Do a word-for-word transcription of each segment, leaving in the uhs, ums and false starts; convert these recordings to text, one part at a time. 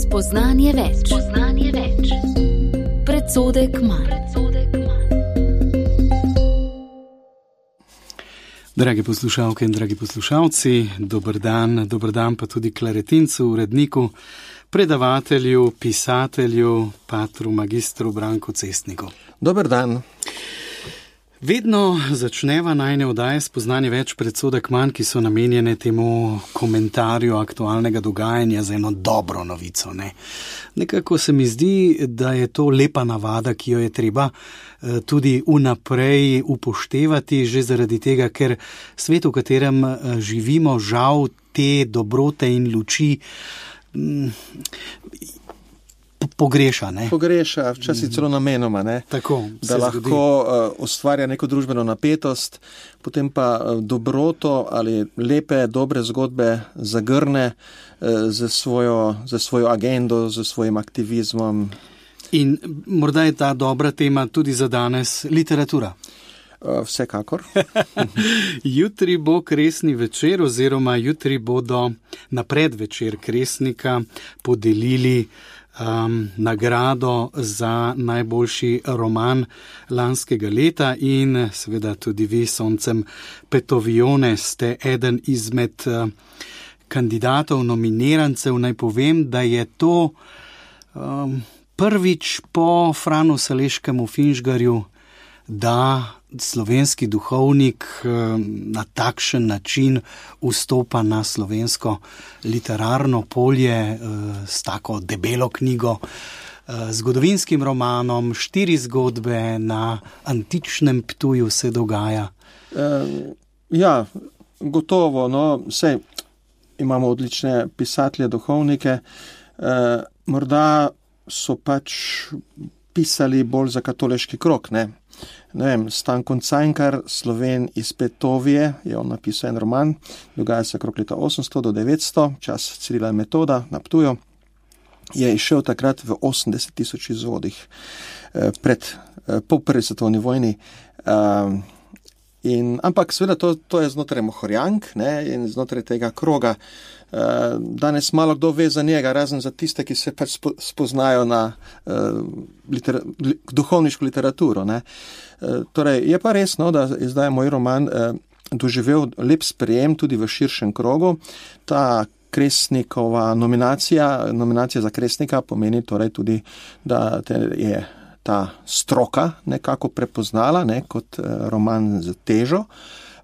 Spoznanje več. Spoznanje več. Predsodek manj. Dragi poslušalke in dragi poslušalci, dober dan, dober dan pa tudi klaretincu, uredniku, predavatelju, pisatelju, patru, magistru Branku Cestniku. Dober dan. Vedno začneva najne oddaje Spoznanje več, predsodek manj, ki so namenjene temu komentarju aktualnega dogajanja za eno dobro novico. Ne? Nekako se mi zdi, da je to lepa navada, ki jo je treba tudi vnaprej upoštevati, že zaradi tega, ker svet, v katerem živimo, žal te dobrote in luči pogreša, ne? Pogreša, včasih celo namenoma, ne? Tako, da lahko uh, ustvarja neko družbeno napetost, potem pa uh, dobroto ali lepe, dobre zgodbe zagrne uh, za svojo, za svojo agendo, za svojim aktivizmom. In morda je ta dobra tema tudi za danes literatura. Uh, vsekakor. Jutri bo kresni večer oziroma jutri bodo na predvečer kresnika podelili Um, nagrado za najboljši roman lanskega leta in seveda tudi vi, Soncem Petovione, ste eden izmed uh, kandidatov, nominirancev. Naj povem, da je to um, prvič po Franu Saleškemu Finžgarju, da slovenski duhovnik na takšen način vstopa na slovensko literarno polje s tako debelo knjigo, zgodovinskim romanom, štiri zgodbe na antičnem Ptuju se dogaja. E, ja, gotovo, no, sej imamo odlične pisatelje, duhovnike, e, morda so pač pisali bolj za katoliški krog, ne? Ne vem, Stanko Cankar, Sloven iz Petovije, je on napisal en roman, dogaja se okrog leta osemsto do devetsto, čas Cirila in Metoda na Ptuju, je išel takrat v osemdeset tisoč izvodih pred, po prvi svetovni vojni. In, ampak seveda to, to je znotraj Mohorjank, ne, in znotraj tega kroga. Danes malo kdo ve za njega, razen za tiste, ki se pač spoznajo na uh, litera, duhovniško literaturo. Ne. Uh, torej, je pa res, no, da je zdaj moj roman uh, doživel lep sprejem tudi v širšem krogu. Ta Kresnikova nominacija, nominacija za Kresnika pomeni torej tudi, da te je ta stroka nekako prepoznala, ne, kot uh, roman z težo.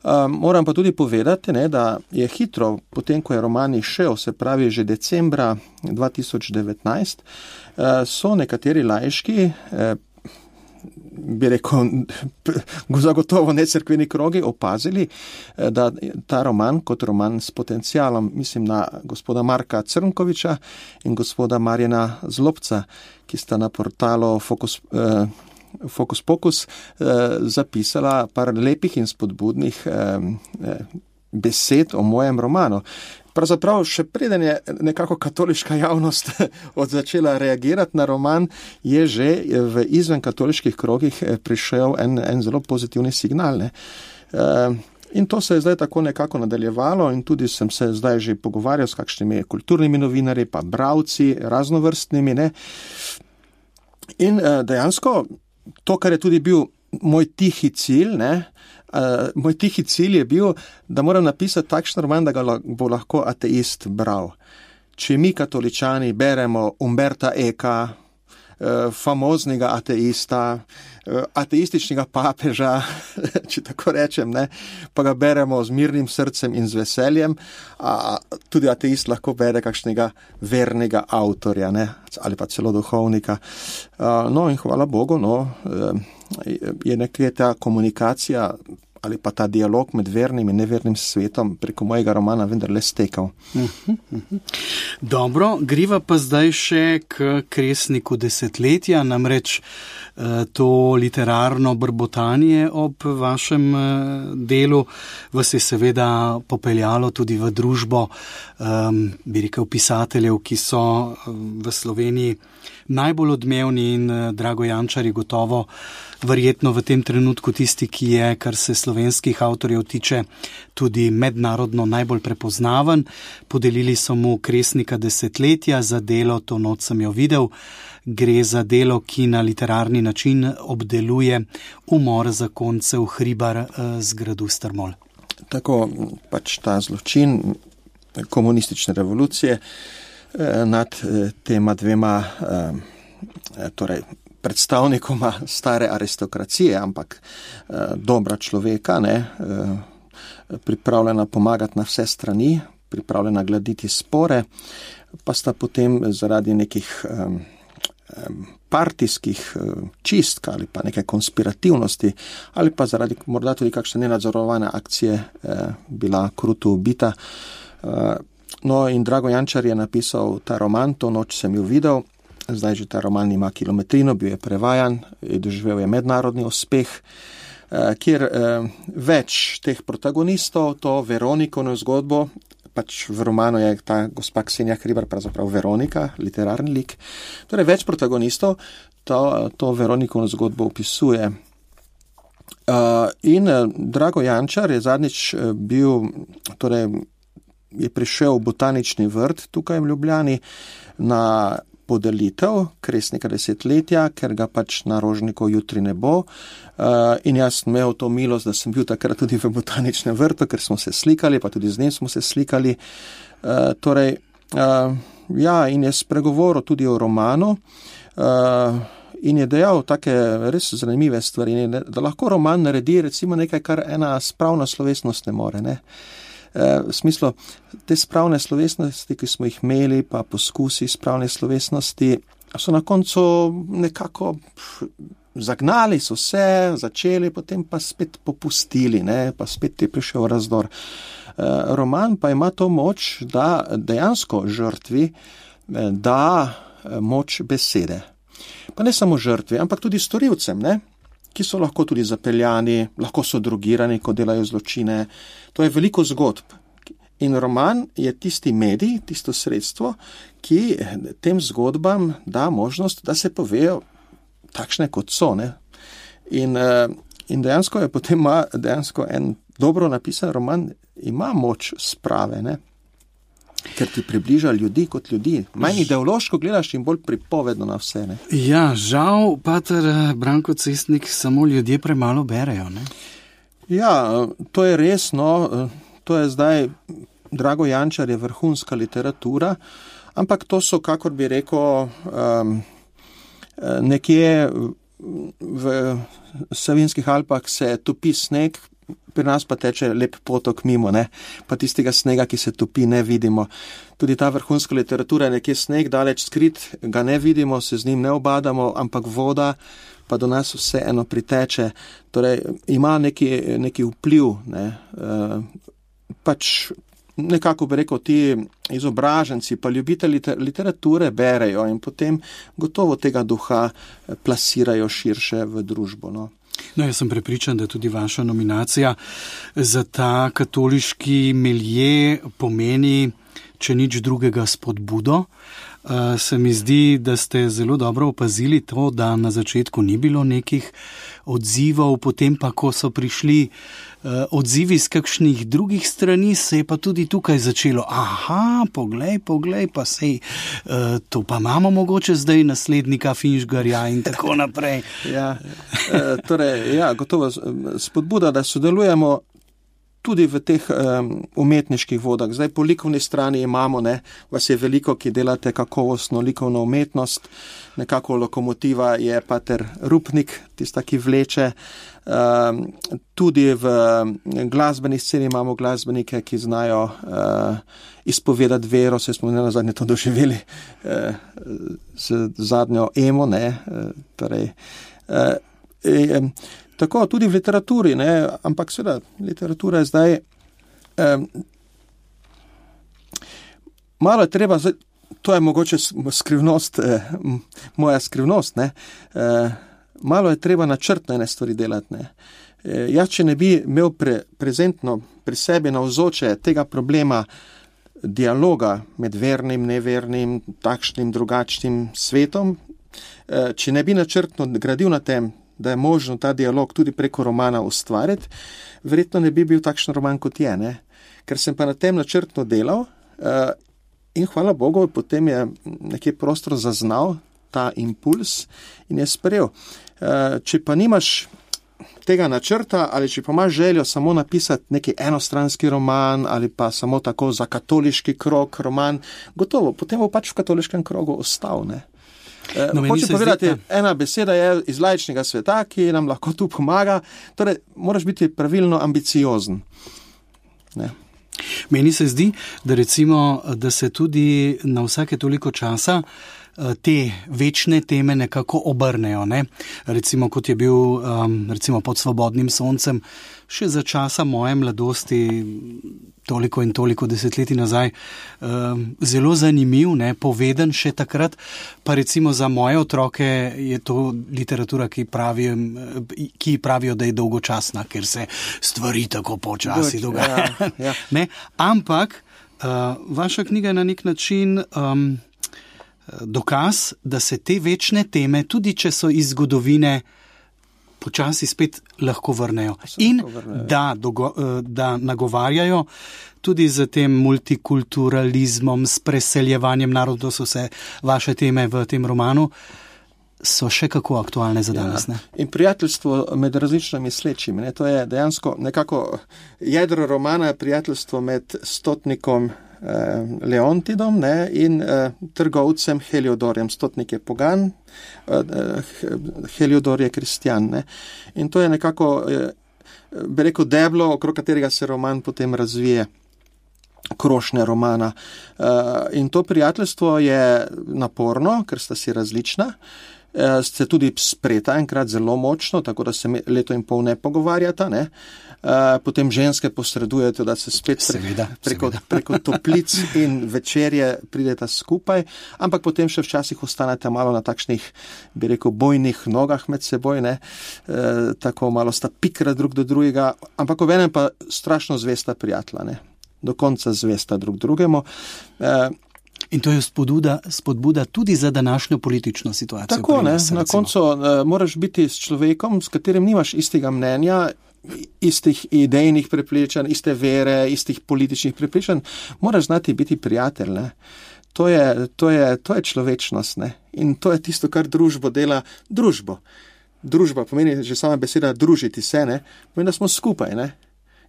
Um, moram pa tudi povedati, ne, da je hitro, potem ko je roman išel, se pravi že decembra dva tisoč devetnajst, uh, so nekateri laiški, uh, bi rekel, zagotovo necerkveni krogi, opazili, uh, da ta roman kot roman s potencialom, mislim na gospoda Marka Crnkoviča in gospoda Marjana Zlobca, ki sta na portalu Fokus uh, Fokus Pokus eh, zapisala par lepih in spodbudnih eh, besed o mojem romanu. Pravzaprav še preden je nekako katoliška javnost od začela reagirati na roman, je že v izven katoliških krogih prišel en, en zelo pozitivni signal. Ne? Eh, in to se je zdaj tako nekako nadaljevalo in tudi sem se zdaj že pogovarjal s kakšnimi kulturnimi novinarji, pa bravci, raznovrstnimi. Ne? In eh, dejansko to, kar je tudi bil moj tihi cilj, ne, uh, moj tihi cilj je bil, da moram napisati takšen roman, da ga bo lahko ateist bral. Če mi katoličani beremo Umberta Eka, uh, famoznega ateista, uh, ateističnega papeža, če tako rečem, ne, pa ga beremo z mirnim srcem in z veseljem, a tudi ateist lahko bere kakšnega vernega avtorja, ne, ali pa celo duhovnika. Uh, no in hvala Bogu, no, je nekaj ta komunikacija ali pa ta dialog med vernim in nevernim svetom preko mojega romana vendarle stekal. Uh-huh, uh-huh. Dobro, griva pa zdaj še k kresniku desetletja, namreč uh, to literarno brbotanje ob vašem uh, delu vas je seveda popeljalo tudi v družbo, um, bi rekel, pisateljev, ki so uh, v Sloveniji najbolj odmevni in Drago Jančar je gotovo verjetno v tem trenutku tisti, ki je, kar se slovenskih avtorjev tiče, tudi mednarodno najbolj prepoznaven. Podelili so mu Kresnika desetletja za delo To noč sem jo videl. Gre za delo, ki na literarni način obdeluje umor zakoncev Hribar z gradu Strmol. Tako pač ta zločin komunistične revolucije nad tema dvema torej, predstavnikoma stare aristokracije, ampak dobra človeka, ne, pripravljena pomagati na vse strani, pripravljena gladiti spore, pa sta potem zaradi nekih partijskih čistk ali pa neke konspirativnosti ali pa zaradi morda tudi kakšne nenadzorovane akcije bila kruto ubita. No in Drago Jančar je napisal ta roman, To noč sem jo videl. Zdaj že ta roman ima kilometrino, bil je prevajan, doživel je mednarodni uspeh, kjer več teh protagonistov, to Veronikono zgodbo, pač v romanu je ta gospa Ksenija Hribar pravzaprav Veronika, literarni lik, torej več protagonistov to, to Veronikono zgodbo opisuje. In Drago Jančar je zadnjič bil, torej je prišel v botanični vrt tukaj v Ljubljani na podelitev Kresnika desetletja, ker ga pač na Rožniku jutri ne bo. Uh, in jaz sem imel to milost, da sem bil takrat tudi v botaničnem vrtu, ker smo se slikali, pa tudi z njim smo se slikali. Uh, torej, uh, ja, in je spregovoril tudi o romanu uh, in je dejal take res zanimive stvari, da lahko roman naredi recimo nekaj, kar ena spravna slovesnost ne more, ne. V smislu, te spravne slovesnosti, ki smo jih imeli, pa poskusi spravne slovesnosti, so na koncu nekako zagnali, so se, začeli, potem pa spet popustili, ne, pa spet je prišel razdor. Roman pa ima to moč, da dejansko žrtvi da moč besede. Pa ne samo žrtvi, ampak tudi storilcem, ne, ki so lahko tudi zapeljani, lahko so drogirani, ko delajo zločine. To je veliko zgodb. In roman je tisti medij, tisto sredstvo, ki tem zgodbam da možnost, da se povejo takšne, kot so. Ne? In, in dejansko je potem ima, dejansko en dobro napisan roman ima moč sprave, ne? Ker ti približa ljudi kot ljudi. Manj ideološko gledaš in bolj pripovedno na vse. Ne? Ja, žal, pater Branko Cestnik, samo ljudje premalo berejo. Ne? Ja, to je res, no, to je zdaj, Drago Jančar je vrhunska literatura, ampak to so, kakor bi rekel, um, nekje v Savinjskih Alpah se topi sneg, pri nas pa teče lep potok mimo, ne? Pa tistega snega, ki se topi, ne vidimo. Tudi ta vrhunska literatura je nekje sneg, daleč skrit, ga ne vidimo, se z njim ne obadamo, ampak voda pa do nas vse eno priteče. Torej, ima neki, neki vpliv, ne? E, pač nekako bi rekel, ti izobraženci pa ljubitelji literature berejo in potem gotovo tega duha plasirajo širše v družbo, no. No, jaz sem prepričan, da tudi vaša nominacija za ta katoliški milje pomeni, če nič drugega, spodbudo. Uh, se mi zdi, da ste zelo dobro opazili to, da na začetku ni bilo nekih odzivov, potem pa, ko so prišli uh, odzivi z kakšnih drugih strani, se je pa tudi tukaj začelo. Aha, poglej, poglej, pa sej, uh, to pa imamo mogoče zdaj naslednika Finžgarja in tako naprej. Ja, uh, torej, ja, gotovo spodbuda, da sodelujemo tudi v teh um, umetniških vodah. Zdaj po likovni strani imamo, ne, vas je veliko, ki delate kakovostno likovno umetnost. Nekako lokomotiva je pater Rupnik, tista, ki vleče. Um, tudi v glasbeni sceni imamo glasbenike, ki znajo uh, izpovedati vero, se smo na zadnje to doživeli uh, z zadnjo emo, ne, uh, torej, uh, um, tako tudi v literaturi, ne, ampak seveda literatura je zdaj um, malo je treba, zdaj, to je mogoče skrivnost, eh, moja skrivnost, ne, eh, malo je treba načrtno ene stvari delati, ne. Eh, jaz, če ne bi imel pre, prezentno pri sebi navzoče tega problema dialoga med vernim, nevernim, takšnim, drugačnim svetom, če ne bi načrtno gradil na tem, da je možno ta dialog tudi preko romana ustvariti, verjetno ne bi bil takšen roman, kot je, ne? Ker sem pa na tem načrtno delal in hvala Bogu, potem je nekje prostor zaznal ta impuls in je sprejel. Če pa nimaš tega načrta ali če pa imaš željo samo napisati neki enostranski roman ali pa samo tako za katoliški krog roman, gotovo, potem bo pač v katoliškem krogu ostal, ne? No, hočem povedati, zdi, ena beseda je iz laičnega sveta, ki nam lahko tu pomaga, torej moraš biti pravilno ambiciozen. Ne? Meni se zdi, da recimo, da se tudi na vsake toliko časa te večne teme nekako obrnejo, ne? Recimo, kot je bil um, recimo Pod svobodnim soncem, še za časa moje mladosti, toliko in toliko desetletij nazaj, um, zelo zanimiv, ne? Poveden še takrat, pa recimo za moje otroke je to literatura, ki pravijo, ki pravijo, da je dolgočasna, ker se stvari tako počasi dogajajo. Ja, ja. Ne? Ampak uh, vaša knjiga je na nek način um, dokaz, da se te večne teme, tudi če so iz zgodovine, počasi spet lahko vrnejo. In vrnejo. Da, dogo, da nagovarjajo tudi z tem multikulturalizmom, s preseljevanjem narodov, so se vaše teme v tem romanu, so še kako aktualne za danes. Ne? Ja. In prijateljstvo med različnimi slečimi. Ne? To je dejansko nekako jedro romana, prijateljstvo med stotnikom Leontidom, ne, in uh, trgovcem Heliodorjem. Stotnik je pogan, uh, Heliodor je kristjan. Ne. In to je nekako, uh, bi rekel, deblo, okrog katerega se roman potem razvije, krošnja romana. Uh, in to prijateljstvo je naporno, ker sta si različna. Uh, ste tudi spreta enkrat zelo močno, tako da se leto in pol ne pogovarjata, ne. Uh, potem ženske posredujete, da se spet pre, seveda, preko, seveda. preko toplic in večerje prideta skupaj, ampak potem še včasih ostanete malo na takšnih, bi rekel, bojnih nogah med seboj, ne, uh, tako malo sta pikra drug do drugega, ampak obenem pa strašno zvesta prijatelja, ne, do konca zvesta drug drugemu. Uh, In to je spodbuda, spodbuda tudi za današnjo politično situacijo. Tako, ne, nas, na koncu uh, moraš biti s človekom, s katerim nimaš istega mnenja, istih idejnih prepričanj, iste vere, istih političnih prepričanj, moraš znati biti prijatelj, ne. To je, to je, to je človečnost, ne. In to je tisto, kar družbo dela družbo. Družba pomeni že sama beseda družiti se, ne, pomeni, da smo skupaj, ne.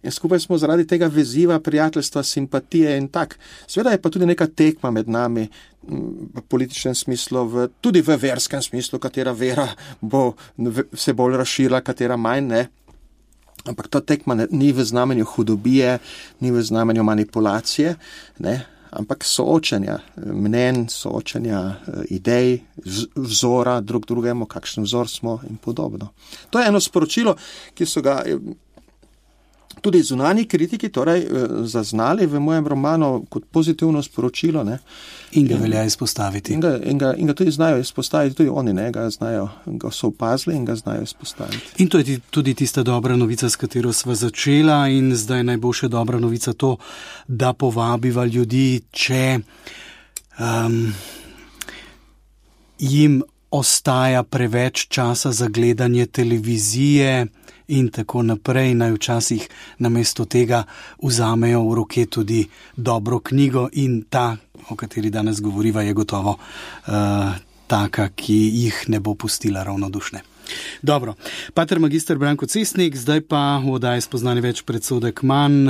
In skupaj smo zaradi tega veziva, prijateljstva, simpatije in tak. Seveda je pa tudi neka tekma med nami v političnem smislu, v, tudi v verskem smislu, katera vera bo se bolj razširila, katera manj, ne. Ampak ta tekma ne, ni v znamenju hudobije, ni v znamenju manipulacije, ne, ampak soočanja mnen, soočanja idej, vzora drug drugemu, kakšen vzor smo in podobno. To je eno sporočilo, ki so ga tudi zunanji kritiki torej zaznali v mojem romanu kot pozitivno sporočilo, ne. In ga velja izpostaviti. In ga, in ga, in ga tudi znajo izpostaviti, tudi oni, ne, ga znajo, ga so opazili in ga znajo izpostaviti. In to je tudi tista dobra novica, s katero sva začela, in zdaj naj bo še dobra novica to, da povabiva ljudi, če um, jim ostaja preveč časa za gledanje televizije in tako naprej, naj včasih namesto tega vzamejo v roke tudi dobro knjigo, in ta, o kateri danes govoriva, je gotovo uh, taka, ki jih ne bo pustila ravnodušne. Dobro, pater magister Branko Cestnik, zdaj pa v oddaji Spoznanje več predsodek manj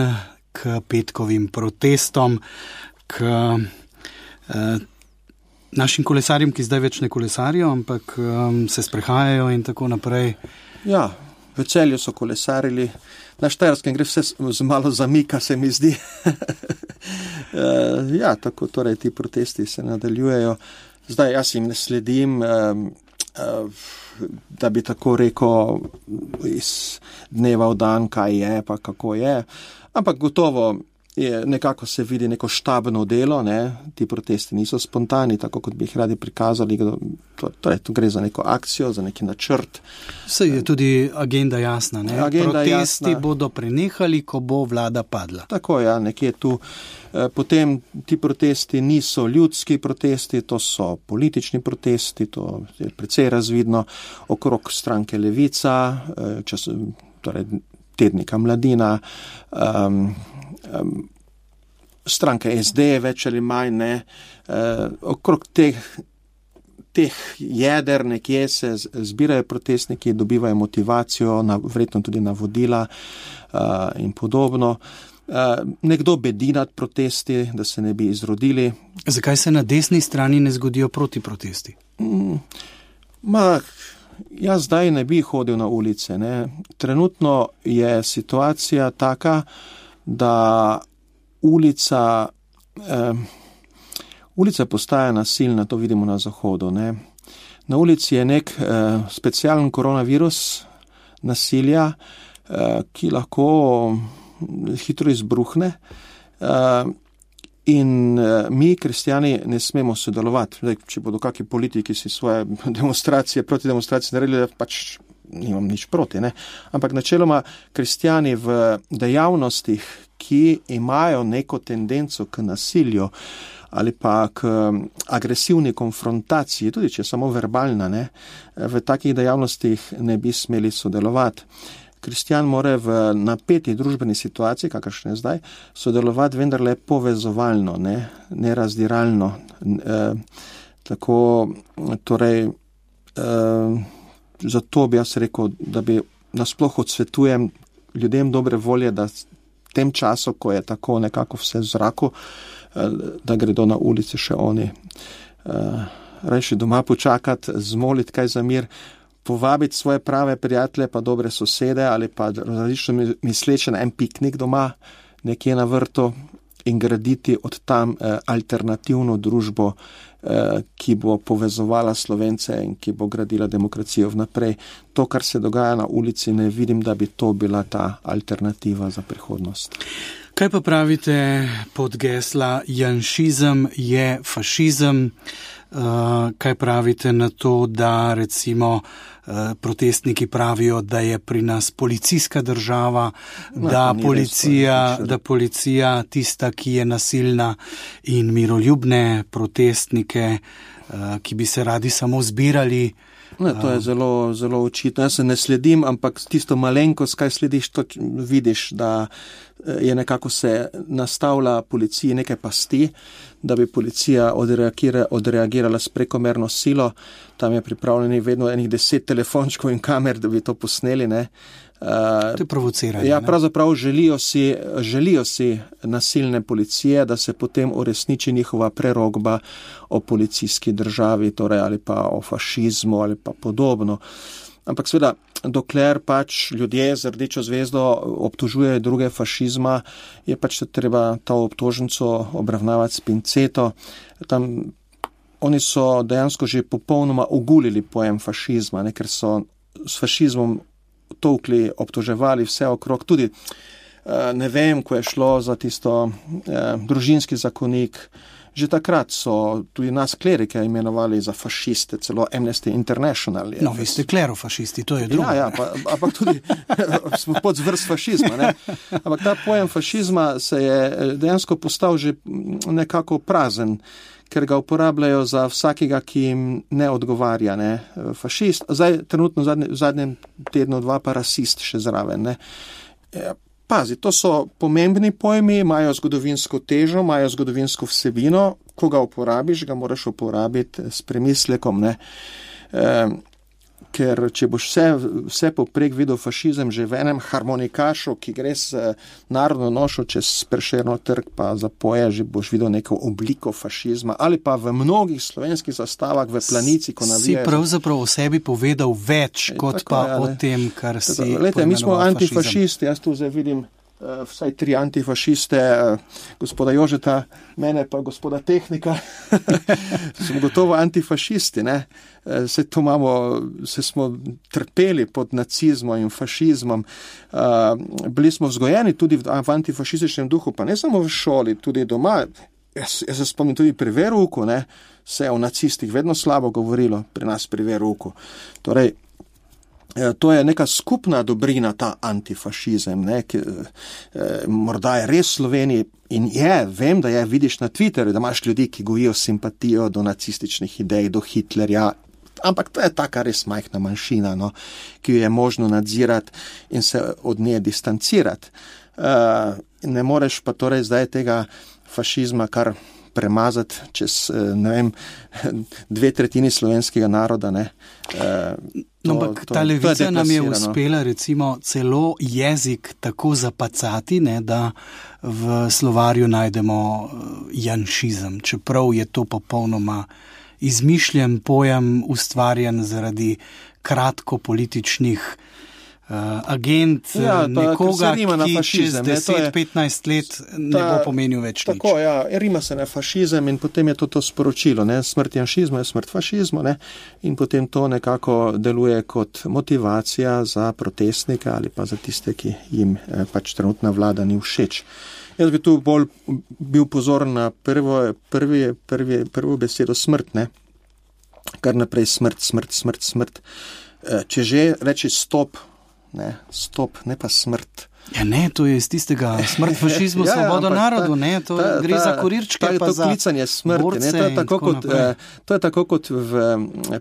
k petkovim protestom, k uh, našim kolesarjem, ki zdaj več ne kolesarijo, ampak um, se sprehajajo in tako naprej. Ja, v Celju so kolesarili, na Štajerskem gre vse malo zamika, se mi zdi. Ja, tako torej ti protesti se nadaljujejo. Zdaj jaz jim ne sledim, da bi tako rekel iz dneva v dan, kaj je, pa kako je. Ampak gotovo je, nekako se vidi neko štabno delo, ne? Ti protesti niso spontani, tako kot bi jih radi prikazali, to, torej tu gre za neko akcijo, za neki načrt. Vse je tudi agenda jasna, ne? Agenda Protesti jasna. bodo prenehali, ko bo vlada padla. Tako, ja, nekje tu. Potem ti protesti niso ljudski protesti, to so politični protesti, to je precej razvidno okrog stranke Levica, čas, torej tednika Mladina, um, um, stranka S D več ali manj, ne, uh, okrog teh, teh jeder nekje se zbirajo protestniki, dobivajo motivacijo, na, verjetno tudi navodila uh, in podobno. Uh, nekdo bedi nad protesti, da se ne bi izrodili. Zakaj se na desni strani ne zgodijo proti protesti? Mm, ma, jaz zdaj ne bi hodil na ulice. Ne. Trenutno je situacija taka, da ulica, eh, ulica postaja nasilna, to vidimo na Zahodu. Ne. Na ulici je nek eh, specialen koronavirus nasilja, eh, ki lahko hitro izbruhne uh, in uh, mi, kristjani, ne smemo sodelovati. Zdaj, če bodo kakšni politiki si svoje demonstracije, proti demonstracije naredili, pač nimam nič proti, ne. Ampak načeloma kristjani v dejavnostih, ki imajo neko tendenco k nasilju ali pa k agresivni konfrontaciji, tudi če je samo verbalna, ne, v takih dejavnostih ne bi smeli sodelovati. Kristjan mora v napeti družbeni situaciji, kakršne je zdaj, sodelovati vendarle povezovalno, ne, ne razdiralno. E, tako, torej, e, zato bi jaz rekel, da bi nasploh odsvetujem ljudem dobre volje, da v tem času, ko je tako nekako vse v zraku, e, da gredo na ulici še oni. E, rajši doma počakati, zmoliti kaj za mir, povabiti svoje prave prijatelje, pa dobre sosede ali pa različno misleče na en piknik doma, nekje na vrtu in graditi od tam eh, alternativno družbo, eh, ki bo povezovala Slovence in ki bo gradila demokracijo vnaprej. To, kar se dogaja na ulici, ne vidim, da bi to bila ta alternativa za prihodnost. Kaj pa pravite pod gesla janšizem je fašizem? Uh, kaj pravite na to, da recimo uh, protestniki pravijo, da je pri nas policijska država, no, da, policija, da policija tista, ki je nasilna in miroljubne protestnike, uh, ki bi se radi samo zbirali? Ne, to je zelo, zelo očitno. Jaz se ne sledim, ampak tisto malenkost, kaj slediš, to vidiš, da je nekako se nastavlja policiji nekaj pasti, da bi policija odreagira, odreagirala s prekomerno silo. Tam je pripravljeni vedno enih deset telefončkov in kamer, da bi to posneli, ne. Uh, to je provociranje. Ja, pravzaprav želijo si, želijo si nasilne policije, da se potem uresniči njihova prerogba o policijski državi, torej ali pa o fašizmu ali pa podobno. Ampak seveda, dokler pač ljudje z rdečo zvezdo obtožujejo druge fašizma, je pač treba to obtožnico obravnavati s pinceto. Tam oni so dejansko že popolnoma ogulili pojem fašizma, ne, ker so s fašizmom tolkli, obtoževali vse okrog. Tudi, ne vem, ko je šlo za tisto eh, družinski zakonik, že takrat so tudi nas klerike imenovali za fašiste, celo Amnesty International. No, vi ste klerofašisti, to je drugo. Ja, ja, pa, ampak tudi smo pod zvrst fašizma. Ne? Ampak ta pojem fašizma se je dejansko postal že nekako prazen, ker ga uporabljajo za vsakega, ki jim ne odgovarja. Ne? Fašist, zdaj trenutno v zadnjem, v zadnjem tednu dva pa rasist še zraven. Ne? Pazi, to so pomembni pojmi, imajo zgodovinsko težo, imajo zgodovinsko vsebino, ko ga uporabiš, ga moraš uporabiti s premislekom, ne. E, ker če boš vse, vse poprek videl fašizem že v enem harmonikašu, ki gre s narodno nošo čez Prešernov trg, pa zapoje, že boš videl neko obliko fašizma, ali pa v mnogih slovenskih zastavah v Planici, ko navijajo. Si pravzaprav o sebi povedal več, e, kot tako, pa ja, o tem, kar si tako, lejte, mi smo antifašisti, jaz tu zdaj vidim vsaj tri antifašiste, gospoda Jožeta, mene pa gospoda Tehnika, smo gotovo antifašisti, ne. Se to imamo, se smo trpeli pod nacizmom in fašizmom, bili smo vzgojeni tudi v antifašističnem duhu, pa ne samo v šoli, tudi doma. Jaz, jaz se spomnim tudi pri verouku, ne, se je o nacistih vedno slabo govorilo pri nas pri verouku. Torej, to je neka skupna dobrina, ta antifašizem, ne, ki, eh, morda je res v Sloveniji in je, vem, da je, vidiš na Twitterju, da imaš ljudi, ki gojijo simpatijo do nacističnih idej, do Hitlerja, ampak to je taka res majhna manjšina, no, ki jo je možno nadzirati in se od nje distancirati. Uh, ne moreš pa torej zdaj tega fašizma kar premazati čez, ne vem, dve tretjini slovenskega naroda, ne. No, ampak ta levica nam je uspela recimo celo jezik tako zapacati, ne, da v slovarju najdemo janšizem, čeprav je to popolnoma izmišljen pojem, ustvarjen zaradi kratko političnih Uh, agent ja, ta, nekoga, ki čez deset petnajst let ne ta, bo pomenil več nič. Tako, ja, rima se na fašizem in potem je to to sporočilo, ne, smrt janšizma je smrt fašizmu, ne, in potem to nekako deluje kot motivacija za protestnike ali pa za tiste, ki jim eh, pač trenutna vlada ni všeč. Jaz bi tu bolj bil pozoren na prvo, prvi, prvi, prvo besedo smrt, ne, kar naprej smrt, smrt, smrt, smrt. Eh, če že reči stop, ne, stop, ne pa smrt. Ja ne, to je iz tistega smrt fašizmu, ja, svobodo narodu, ne, to ta, ta, gre za kurirčke, ta, pa to za klicanje smrti, ne, to je tako kot, eh, to je tako kot v,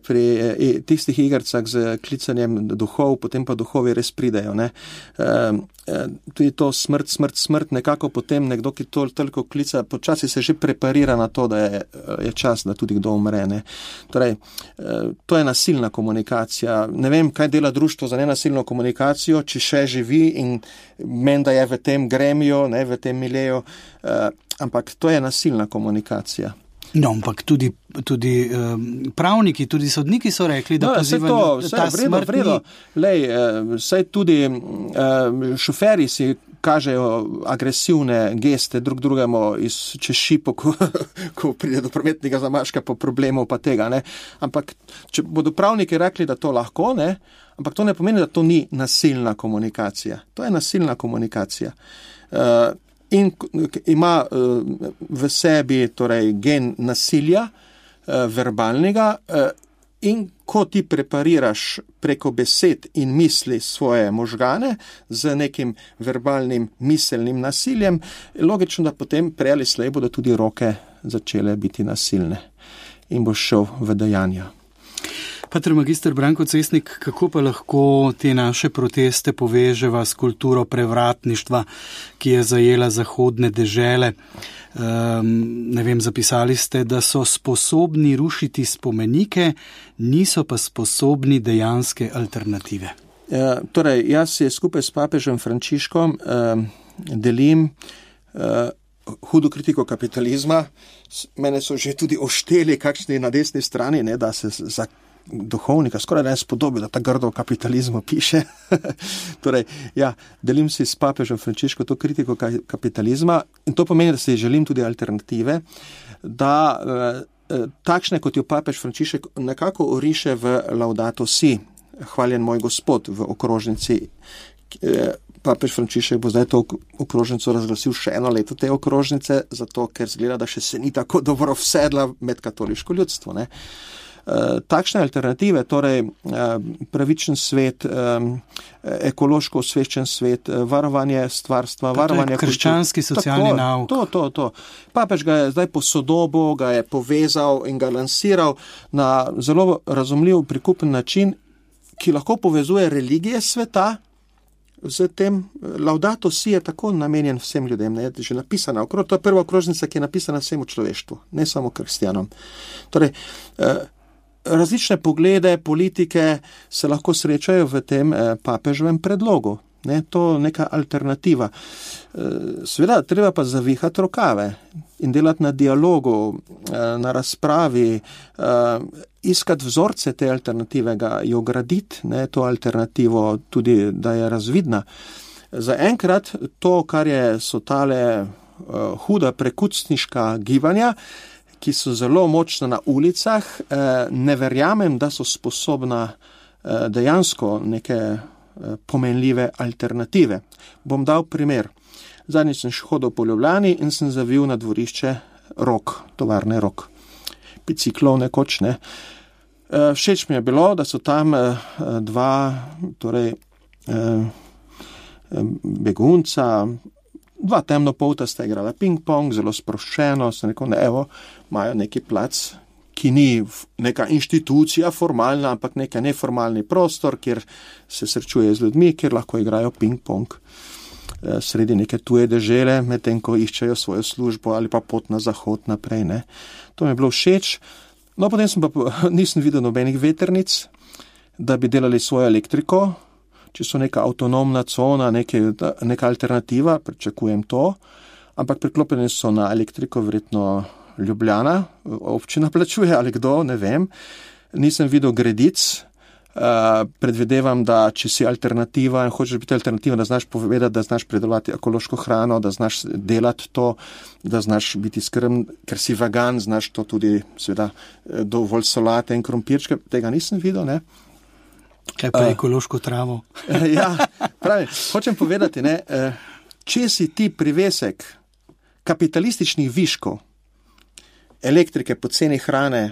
pri eh, tistih igrcah z klicanjem duhov, potem pa duhovi res pridejo, ne. Eh, eh, tudi to smrt, smrt, smrt, nekako potem nekdo, ki to toliko klica, počasi se že preparira na to, da je, je čas, da tudi kdo umre, ne. Torej, eh, to je nasilna komunikacija. Ne vem, kaj dela društvo za nenasilno komunikacijo, če še živi in menda je v tem gremiju, ne, v tem mileju, uh, ampak to je nasilna komunikacija. No, ampak tudi, tudi um, pravniki, tudi sodniki so rekli, da no, pozivajo ta smrt ni. Lej, uh, saj tudi uh, šoferi si kažejo agresivne geste drug drugemu iz čez šipo, ko, ko pride do prometnega zamaška po problemu pa tega, ne. Ampak, če bodo pravniki rekli, da to lahko, ne, ampak to ne pomeni, da to ni nasilna komunikacija. To je nasilna komunikacija. Uh, in ima uh, v sebi torej gen nasilja, uh, verbalnega, uh, in ko ti prepariraš preko besed in misli svoje možgane z nekim verbalnim miselnim nasiljem, logično, da potem prej ali slej bodo tudi roke začele biti nasilne in boš šel v dejanja. Pater magister Branko Cesnik, kako pa lahko te naše proteste poveževa s kulturo prevratništva, ki je zajela zahodne dežele? Um, ne vem, zapisali ste, da so sposobni rušiti spomenike, niso pa sposobni dejanske alternative. E, torej, jaz se skupaj s papežem Frančiškom um, delim uh, hudo kritiko kapitalizma. Mene so že tudi ošteli, kakšni na desni strani, ne, da se za duhovnika skoraj ne spodobi, da ta grdo kapitalizmu piše. Torej, ja, delim si s papežem Frančiško to kritiko kapitalizma in to pomeni, da si želim tudi alternative, da eh, takšne, kot jo papež Frančišek nekako oriše v Laudato Si, hvaljen moj Gospod, v okrožnici. Eh, papež Frančišek bo zdaj to okrožnico razglasil še eno leto te okrožnice, zato ker zgleda, da še se ni tako dobro vsedla med katoliško ljudstvo, ne. Uh, takšne alternative, torej uh, pravičen svet, um, ekološko osveščen svet, uh, varovanje stvarstva, pa varovanje krščanski kultur. Socialni Tako, nauk. To, to, to. Papež ga je zdaj posodobil, ga je povezal in ga lansiral na zelo razumljiv, prikupen način, ki lahko povezuje religije sveta z tem. Laudato Si je tako namenjen vsem ljudem, ne, je že napisana. To je prva okrožnica, ki je napisana vsemu človeštvu, ne samo kristjanom. Torej, uh, različne poglede, politike se lahko srečajo v tem eh, papeževem predlogu. Ne, to neka alternativa. Eh, Seveda, treba pa zavihati rokave in delati na dialogu, eh, na razpravi, eh, iskati vzorce te alternative, ga jo graditi, ne, to alternativo tudi, da je razvidna. Zaenkrat to, kar je, so tale uh, huda prekucniška gibanja, ki so zelo močna na ulicah, uh, ne verjamem, da so sposobna uh, dejansko neke uh, pomenljive alternative. Bom dal primer. Zadnjič sem hodil po Ljubljani in sem zavil na dvorišče Rok, tovarne Rok. Biciklov nekoč, ne. Uh, všeč mi je bilo, da so tam uh, dva, torej, uh, begunca, dva temnopolta sta igrala ping-pong, zelo sproščeno, sem rekel, ne, evo, imajo neki plac, ki ni neka inštitucija formalna, ampak neka neformalni prostor, kjer se srečuje z ljudmi, kjer lahko igrajo ping-pong sredi neke tuje dežele, medtem ko iščejo svojo službo ali pa pot na zahod naprej, ne. To mi je bilo všeč. No, potem sem pa, nisem videl nobenih vetrnic, da bi delali svojo elektriko, če so neka avtonomna cona, neke, neka alternativa, pričakujem to, ampak priklopljeni so na elektriko, verjetno Ljubljana, občina plačuje ali kdo, ne vem. Nisem videl gredic. Uh, predvidevam, da če si alternativa in hočeš biti alternativa, da znaš povedati, da znaš predelovati ekološko hrano, da znaš delati to, da znaš biti skrben, ker si vegan, znaš to tudi seveda dovolj solate in krompirčke, tega nisem videl, ne. Kaj pa uh, ekološko travo? Ja, pravi, hočem povedati, ne, če si ti privesek kapitalističnih viškov, elektrike, poceni hrane,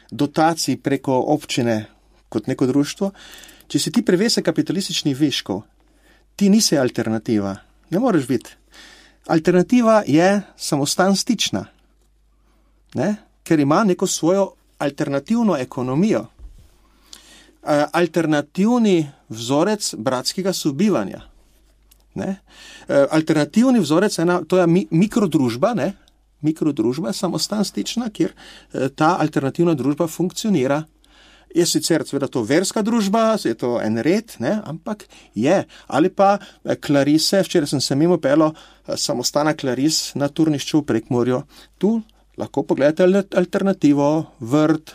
dotacij preko občine, kot neko društvo, če si ti privesek kapitalističnih viškov, ti nisi alternativa. Ne moreš biti. Alternativa je samostan stična, ne? Ker ima neko svojo alternativno ekonomijo. Alternativni vzorec bratskega sobivanja. Ne? Alternativni vzorec, ena, to je mikrodružba, ne? Mikrodružba, samostan stična, kjer ta alternativna družba funkcionira. Je sicer seveda to verska družba, je to en red, ne, ampak je. Ali pa Klarise, včeraj sem se mimo pelo samostana Klaris na turnišču v Prekmurju. Tu lahko pogledate alternativo, vrt,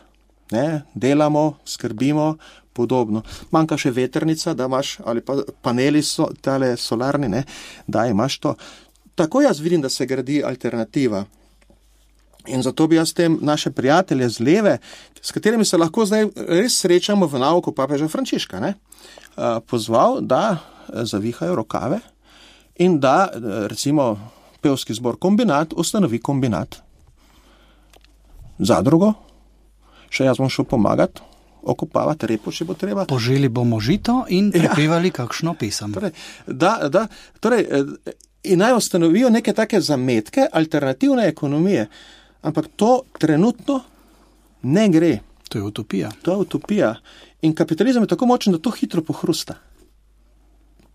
ne, delamo, skrbimo, podobno. Manjka še vetrnica, da imaš, ali pa paneli so, tale solarni, ne, da imaš to. Tako jaz vidim, da se gradi alternativa. In zato bi jaz tem naše prijatelje z leve, s katerimi se lahko zdaj res srečamo v nauku papeža Frančiška, ne, pozval, da zavihajo rokave in da, recimo, pevski zbor Kombinat ustanovi kombinat. Zadrugo, še jaz bom šel pomagati, okopavati repo, če bo treba. Poželi bomo žito in prepevali ja. kakšno pesem. Torej, da, da, torej, in naj ustanovijo neke take zametke alternativne ekonomije. Ampak to trenutno ne gre. To je utopija. To je utopija. In kapitalizem je tako močen, da to hitro pohrusta.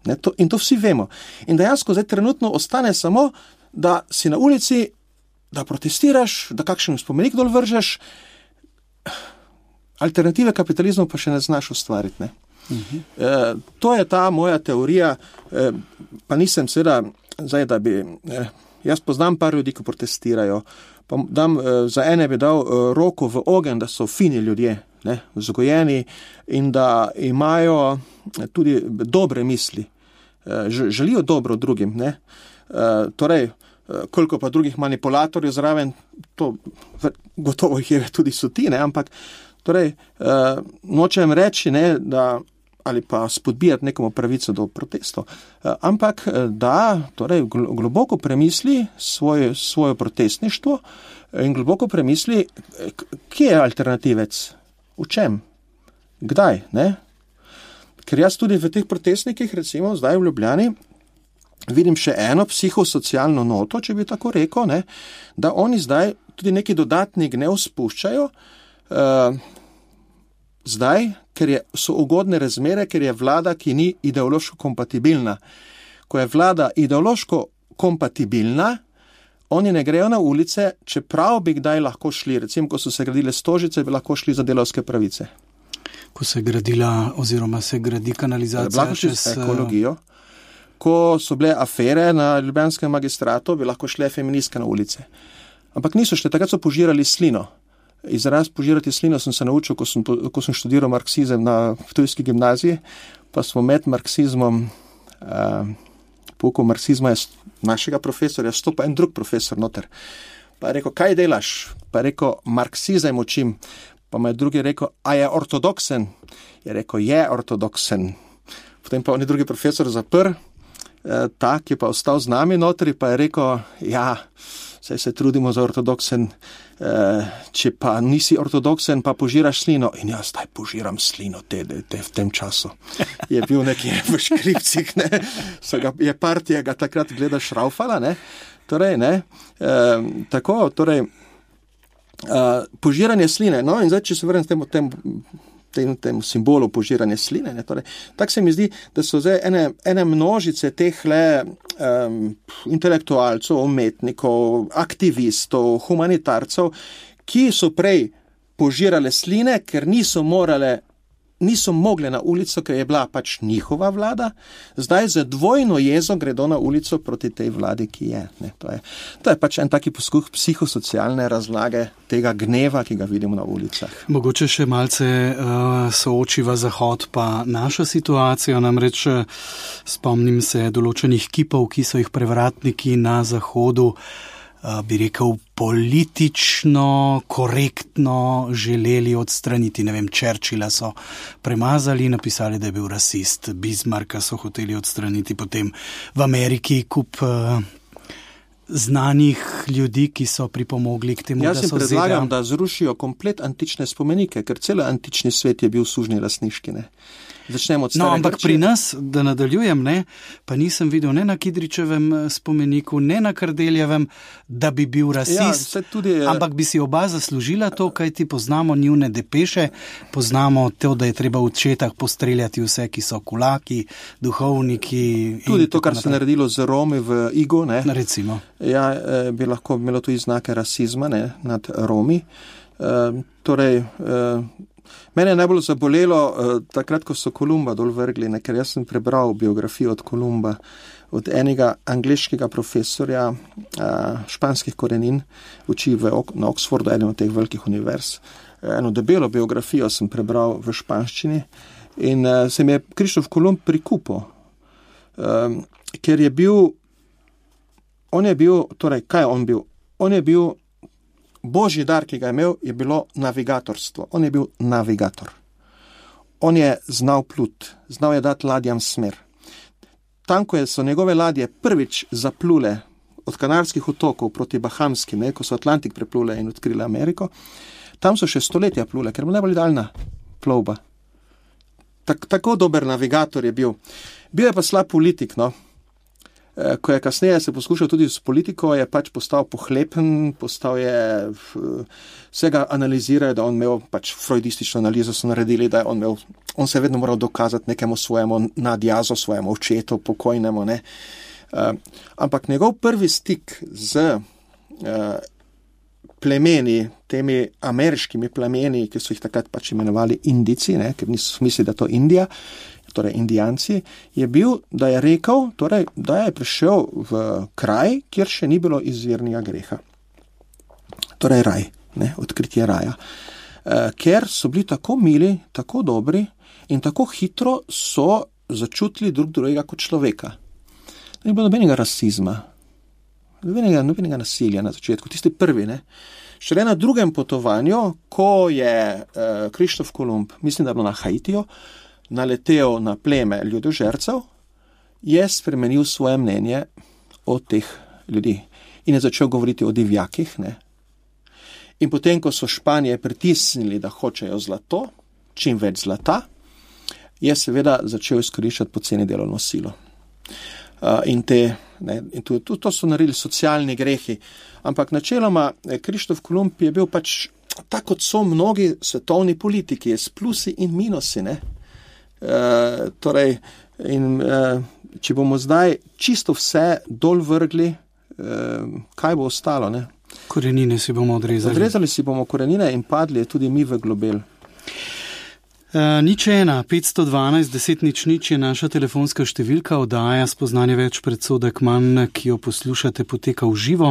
Ne, to, in to vsi vemo. In dejansko zdaj trenutno ostane samo, da si na ulici, da protestiraš, da kakšen spomenik dol vržeš. Alternative kapitalizmu pa še ne znaš ustvariti. Ne? Uh-huh. E, to je ta moja teorija, e, pa nisem seveda, zdaj, da bi, e, jaz poznam par ljudi, ki protestirajo, pa dam, za ene bi dal roko v ogenj, da so fini ljudje, ne, vzgojeni in da imajo tudi dobre misli, želijo dobro drugim, ne. Torej, koliko pa drugih manipulatorjev zraven, to gotovo jih je tudi so ti, ne, ampak torej, nočem reči, ne, da ali pa spodbijati nekomu pravico do protestov, ampak da torej, globoko premisli svoje, svoje protestništvo in globoko premisli, kje je alternativec, v čem, kdaj, ne? Ker jaz tudi v teh protestnikih, recimo zdaj v Ljubljani, vidim še eno psihosocialno noto, če bi tako rekel, ne? Da oni zdaj tudi neki dodatni gnev spuščajo, uh, zdaj, ker je, so ugodne razmere, ker je vlada, ki ni ideološko kompatibilna. Ko je vlada ideološko kompatibilna, oni ne grejo na ulice, čeprav bi kdaj lahko šli, recimo, ko so se gradile Stožice, bi lahko šli za delavske pravice. Ko se je gradila, oziroma se gradi kanalizacija čez ekologijo, ko so bile afere na ljubljanskem magistratu, bi lahko šle feministke na ulice. Ampak niso šle, takrat so požirali slino. Izraz požirati slino sem se naučil, ko sem, ko sem študiral marksizem na ptujski gimnaziji, pa smo med marksizmom uh, pouku marksizma je našega profesorja, stopa en drug profesor noter. Pa je rekel, kaj delaš? Pa je rekel, marksizem učim. Pa mu je drugi rekel, a je ortodoksen? Je rekel, je ortodoksen. Potem pa on je drugi profesor zapr, eh, tak je pa ostal z nami notri, pa je rekel, ja, saj se trudimo za ortodoksen, eh, če pa nisi ortodoksen, pa požiraš slino. In jaz zdaj požiram slino te, te v tem času. Je bil nekje v škripcih, ne. So ga, je partija ga takrat gleda šraufala, ne. Torej, ne, eh, tako, torej, eh, požiranje sline, no, in zdaj, če se vrnem temu, temu, temu, temu simbolu požiranje sline, ne, torej, tak se mi zdi, da so zdaj ene, ene množice teh le um, intelektualcev, umetnikov, aktivistov, humanitarcev, ki so prej požirale sline, ker niso morale niso mogle na ulico, ker je bila pač njihova vlada, zdaj za dvojno jezo gredo na ulico proti tej vladi, ki je. Ne, to, je to je pač en taki poskuh psihosocialne razlage tega gneva, ki ga vidimo na ulicah. Mogoče še malce uh, soočiva Zahod pa naša situacija, namreč spomnim se določenih kipov, ki so jih prevratniki na Zahodu Uh, bi rekel, politično, korektno želeli odstraniti. Ne vem, Churchilla so premazali, napisali, da je bil rasist. Bismarcka so hoteli odstraniti, potem v Ameriki kup uh, znanih ljudi, ki so pripomogli k temu, Jaz da so zedam. Jaz jim predlagam, zeda... da zrušijo komplet antične spomenike, ker cel antični svet je bil sužnji lastniški, ne. Začnemo od stare No, ampak Grčije. pri nas, da nadaljujem, ne, pa nisem videl ne na Kidričevem spomeniku, ne na Kardeljevem, da bi bil rasist, Ja, tudi, ampak bi si oba zaslužila to, kaj ti poznamo njune depeše, poznamo to, da je treba v četah postreljati vse, ki so kulaki, duhovniki. Tudi to, kar se je naredilo z Romi v Igu, ne. Recimo. Ja, bi lahko imelo tudi znake rasizma, ne, nad Romi. E, torej, e, Mene je najbolj zabolelo uh, takrat, ko so Kolumba dol vrgli, ne, ker jaz sem prebral biografijo od Kolumba, od enega angleškega profesorja uh, španskih korenin, uči v, na Oxfordu, eden od teh velikih univerz. Eno debelo biografijo sem prebral v španščini in uh, se mi je Krištof Kolumb prikupil, um, ker je bil, on je bil, torej, kaj je on bil? On je bil Božji dar, ki ga je imel, je bilo navigatorstvo. On je bil navigator. On je znal plut, znal je dati ladjam smer. Tam, ko so njegove ladje prvič zaplule od Kanarskih otokov proti Bahamskim, ne, ko so Atlantik preplule in odkrile Ameriko, tam so še stoletja plule, ker je bila najbolj daljna plovba. Tak, tako dober navigator je bil. Bil je pa slab politik, no. Ko je kasneje se poskušal tudi s politiko, je pač postal pohlepen, postal je, vsega analizirajo, da on imel pač freudistično analizo so naredili, da on, imel, on se je vedno moral dokazati nekemu svojemu nadjazo, svojemu očetu, pokojnemu, ne. Uh, ampak njegov prvi stik z uh, plemeni, temi ameriškimi plemeni, ki so jih takrat pač imenovali Indici, ne, ker niso mislili, da to Indija, torej Indijanci, je bil, da je rekel, torej, da je prišel v kraj, kjer še ni bilo izvirnega greha. Torej raj, ne, odkritje raja. E, ker so bili tako mili, tako dobri in tako hitro so začutili drug drugega kot človeka. Ni bilo nobenega rasizma, nobenega, nobenega nasilja na začetku, tisti prvi, ne. Šele na drugem potovanju, ko je e, Krištof Kolumb, mislim, da je bilo na Haitiju, naletel na pleme ljudožercev, je spremenil svoje mnenje o teh ljudi in je začel govoriti o divjakih, ne. In potem, ko so Španije pritisnili, da hočejo zlato, čim več zlata, je seveda začel izkoriščati poceni delovno silo. Uh, in te, ne, in to, to, to so naredili socialni grehi. Ampak načeloma Krištof Kolumb je bil pač, tako kot so mnogi svetovni politiki, s plusi in minusi, ne. Uh, torej, in uh, če bomo zdaj čisto vse dol vrgli, uh, kaj bo ostalo, ne? Korenine si bomo odrezali. Odrezali si bomo korenine in padli tudi mi v globel. Uh, nič ena, petsto dvanajst, deset nič nič je naša telefonska številka, oddaja Spoznanje več, predsodek manj, ki jo poslušate, poteka v živo.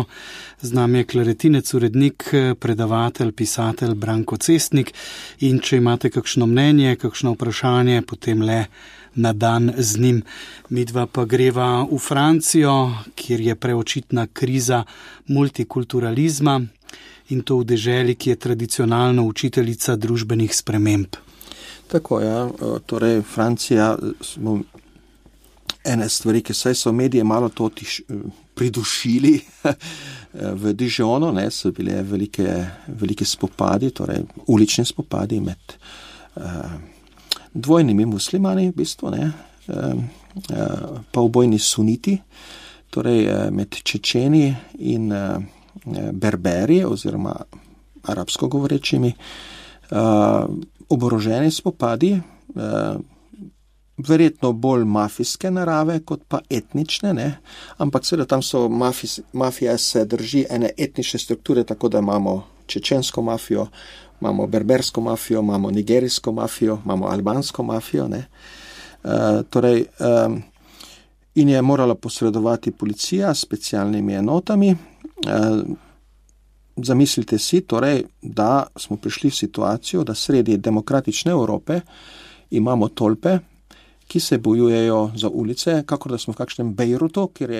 Z nami je klarinetinec, urednik, predavatelj, pisatelj Branko Cestnik. In če imate kakšno mnenje, kakšno vprašanje, potem le na dan z njim. Midva pa greva v Francijo, kjer je preočitna kriza multikulturalizma in to v deželi, ki je tradicionalno učiteljica družbenih sprememb. Tako, ja, torej Francija, smo ene stvari, ki saj so medije malo to tiš, pridušili v Dijonu, ne, so bile velike, velike spopadi, torej ulični spopadi med uh, dvojnimi muslimani, v bistvu, ne, uh, uh, pa obojni suniti, torej uh, med Čečeni in uh, Berberi oziroma arabsko govorečimi, uh, oboroženi spopadi, eh, verjetno bolj mafijske narave, kot pa etnične, ne? Ampak seveda tam so mafis, mafija se drži ene etnične strukture, tako da imamo čečensko mafijo, imamo berbersko mafijo, imamo nigerijsko mafijo, imamo albansko mafijo, ne? Eh, torej, eh, in je morala posredovati policija s specialnimi enotami. Eh, Zamislite si torej, da smo prišli v situacijo, da sredi demokratične Evrope imamo tolpe, ki se bojujejo za ulice, kakor da smo v kakšnem Bejrutu, kjer je